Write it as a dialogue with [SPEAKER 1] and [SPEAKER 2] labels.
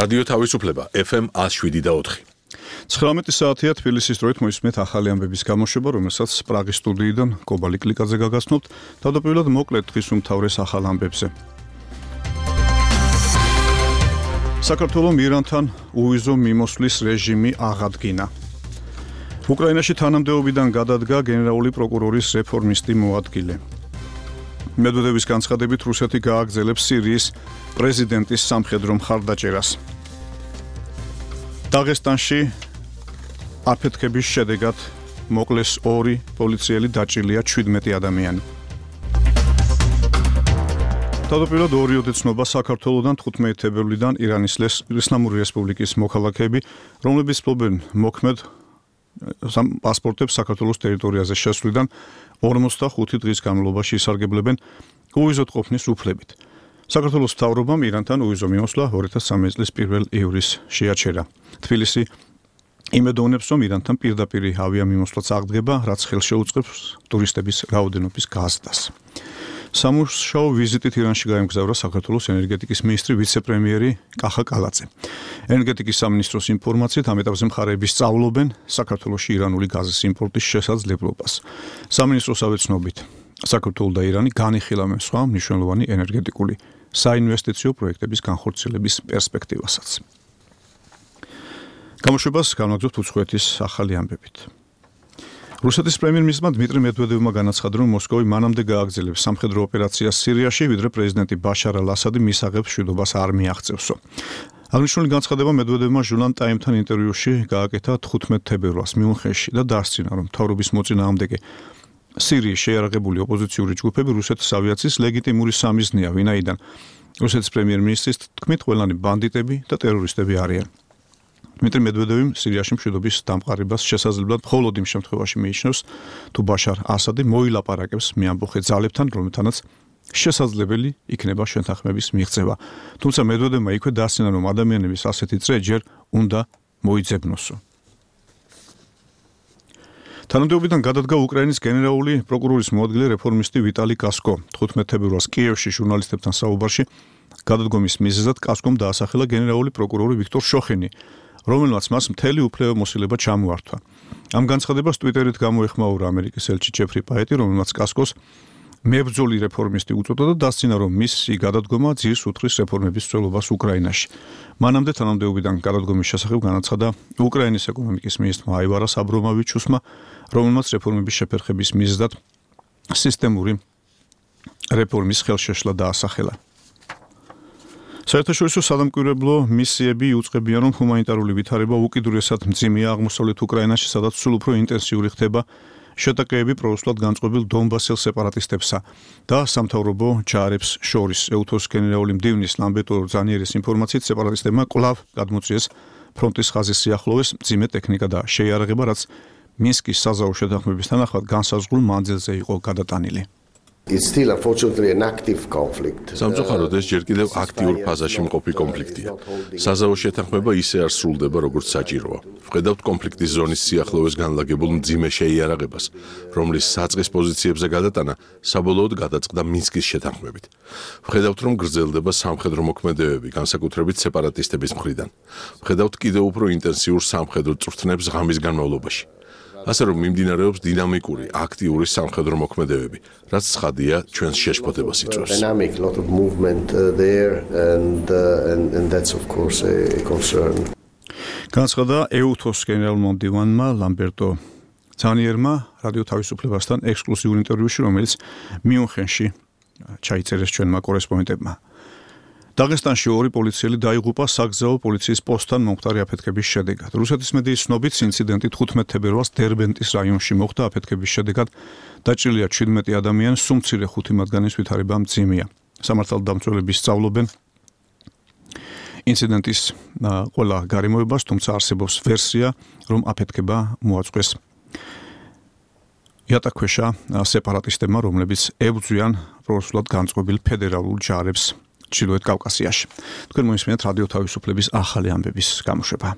[SPEAKER 1] რადიო თავისუფლება FM 107.4.
[SPEAKER 2] 19 საათია თბილისის დროით მოისმენთ ახალი ამბების გამოშვება, რომელსაც პრაღის სტუდიიდან კობალი კლიკაძე გაგაცნობთ. თავდაპირველად მოკლედ დღის უმთავრეს ახალ ამბებზე. საქართველოს ირანთან უვიზო მიმოსვლის რეჟიმი აღადგინა. უკრაინაში თანამდებობიდან გადადგა გენერალური პროკურორის რეფორმისტი მოადგილე. მედვედევის განცხადებით რუსეთი გააგრძელებს სირიის პრეზიდენტის სამხედრო მხარდაჭერას. დაღესტანში აფეთქების შედეგად მოკლეს 2 პოლიციელი, დაჭრილია 17 ადამიანი. თავდაპირველად 2 ოდეცნობა საქართველოსთან 15 თებერვლიდან ირანის ისლამური რესპუბლიკის მოქალაქეები, რომლებიც ფლობენ მოქმედ პასპორტებს საქართველოს ტერიტორიაზე შესვლიდან 45 დღის განმავლობაში ისარგებლებენ უვიზოდ ყოფნის უფლებით. საქართველოს მთავრობამ ირანთან უვიზო მიმოსვლა 2013 წლის 1 ივრის შეაჩერა. თბილისი იმედოვნებს, რომ ირანთან პირდაპირ ავიამიმოსვლაც აღდგება, რაც ხელს შეუწყებს ტურისტების რაოდენობის გაზრდას. სამუშაო ვიზიტით ირანში გაემგზავრა საქართველოს ენერგეტიკის მინისტრი ვიცე-პრემიერი კახა კალაძე. ენერგეტიკის სამინისტროს ინფორმაციით ამ ეტაპზე მხარეები სწავლობენ საქართველოში ირანული გაზის იმპორტის შესაძლებლობას. სამინისტროსავე ცნობით, საქართველო და ირანი განიხილავენ სხვა მნიშვნელოვანი ენერგეტიკული საინვესტიციო პროექტების განხორციელების პერსპექტივასაც. გამოშვებას განვაგრძობთ უცხოეთის ახალი ამბებით. რუსეთის პრემიერ-მინისტრმა დმიტრი მედვედევმა განაცხადა, რომ მოსკოვი მანამდე გააგრძელებს სამხედრო ოპერაციას სირიაში, ვიდრე პრეზიდენტი ბაშარ ალ-ასადი მისაღებს მშვიდობას არ მიაღწევსო. აღნიშნული განცხადება მედვედევმა ჟურნალ ტაიმთან ინტერვიუში გააკეთა 15 თებერვალს მიუნხენში და დასცინა, რომ მთავრობის მოწინააღმდეგე სირიის შეიარაღებული ოპოზიციური ჯგუფები რუსეთის ავიაციის ლეგიტიმური სამიზნეა, ვინაიდან რუსეთის პრემიერ-მინისტრის თქმით ყველანი ბანდიტები და ტერორისტები არიან. დმიტრი მედვედევი სირიაში მშვიდობის დამყარებას შესაძლებლად მხოლოდ იმ შემთხვევაში მიიჩნევს, თუ ბაშარ ასადი მოილაპარაკებს მეამბოხე ძალებთან, რომელთანაც შესაძლებელი იქნება შეთანხმების მიღწევა. თუმცა მედვედევმა იქვე დასცინა, რომ ადამიანების ასეთი წრე ჯერ უნდა მოიძებნოსო. თანამდებობიდან გადადგა უკრაინის გენერალური პროკურორის მოადგილე რეფორმისტი ვიტალი კასკო. 15 თებერვალს კიევში ჟურნალისტებთან საუბარში გადადგომის მიზეზად კასკომ დაასახელა გენერალური პროკურორი ვიქტორ შოხენი, რომელმაც მას მთელი უფლებამოსილება ჩამოართვა. ამ განცხადებას ტვიტერით გამოეხმაურა ამერიკის ელჩი ჯეფრი პაეტი, რომელმაც კასკოს მებრძოლი რეფორმისტი უწოდა და დასცინა, რომ მისი გადადგომა ძირს უთხრის რეფორმების მსვლელობას უკრაინაში. მანამდე თანამდებობიდან გადადგომის შესახებ განაცხადა უკრაინის ეკონომიკის მინისტრმა აივარას აბრომოვიჩუსმა, რომელმაც რეფორმების შეფერხების მიზეზად სისტემური რეფორმის ხელშეშლა დაასახელა. საერთაშორისო სადამკვირვებლო მისიები იუწყებიან, რომ ჰუმანიტარული ვითარება უკიდურესად მძიმეა აღმოსავლეთ უკრაინაში, სადაც სულ უფრო ინტენსიური ხდება შეტაკებები პრორუსულად განწყობილ დონბასელ სეპარატისტებსა და სამთავრობო ჯარებს შორის. ეუთოს გენერალური მდივნის ლამბერტო ზანიერის ინფორმაციით, სეპარატისტებმა კვლავ გადმოწიეს ფრონტის ხაზის სიახლოვეს მძიმე ტექნიკა და შეიარაღება, რაც მინსკის საზავო შეთანხმების თანახმად განსაზღვრულ მანძილზე იყო გადატანილი.
[SPEAKER 3] It's still unfortunately an active conflict.
[SPEAKER 1] სამწუხაროდ ეს ჯერ კიდევ აქტიურ ფაზაში მყოფი კონფლიქტია. საზავო შეთანხმება ისე არ სრულდება, როგორც საჭიროა. ვხედავთ კონფლიქტის ზონის სიახლოვეს განლაგებულ მძიმე შეიარაღებას, რომლის საწყის პოზიციებზე გადატანა საბოლოოდ გადაწყდა მინსკის შეთანხმებით. ვხედავთ, რომ გრძელდება სამხედრო მოქმედებები, განსაკუთრებით სეპარატისტების მხრიდან. ვხედავთ კიდევ უფრო ინტენსიურ სამხედრო წვრთნებს ღამის განმავლობაში. ასე რომ მიმდინარეობს დინამიკური, აქტიური სამხედრო მოქმედებები, რაც ცხადია ჩვენს შეშფოთებას იწვევს.
[SPEAKER 3] Dynamic, lot of movement there and that's of course a concern.
[SPEAKER 2] განაცხადა ეუთოს გენერალურმა მდივანმა ლამბერტო ზანიერმა რადიო თავისუფლებასთან ექსკლუზიურ ინტერვიუში, რომელიც მიუნხენში ჩაიწერეს ჩვენმა კორესპონდენტებმა. დაღესტანში 2 პოლიციელი დაიღუპა საგზაო პოლიციის პოსტთან მომხდარი აფეთქების შედეგად. რუსეთის მედიის ცნობით, ინციდენტი 15 თებერვალს დერბენტის რაიონში მოხდა. აფეთქების შედეგად დაჭრილია 17 ადამიანი, სუმცირე 5 მათგანის ვითარება მძიმეა. სამართალდამცველები სწავლობენ ინციდენტის ყველა გარემოებას, თუმცა არსებობს ვერსია, რომ აფეთქება მოაწყვეს იატაკქვეშა სეპარატისტებმა, რომლებიც ებრძვიან პრორუსულად განწყობილ ფედერალურ ჯარებს ჩრდილოეთ კავკასიაში. თქვენ მოისმენთ რადიო თავისუფლების ახალი ამბების გამოშვება.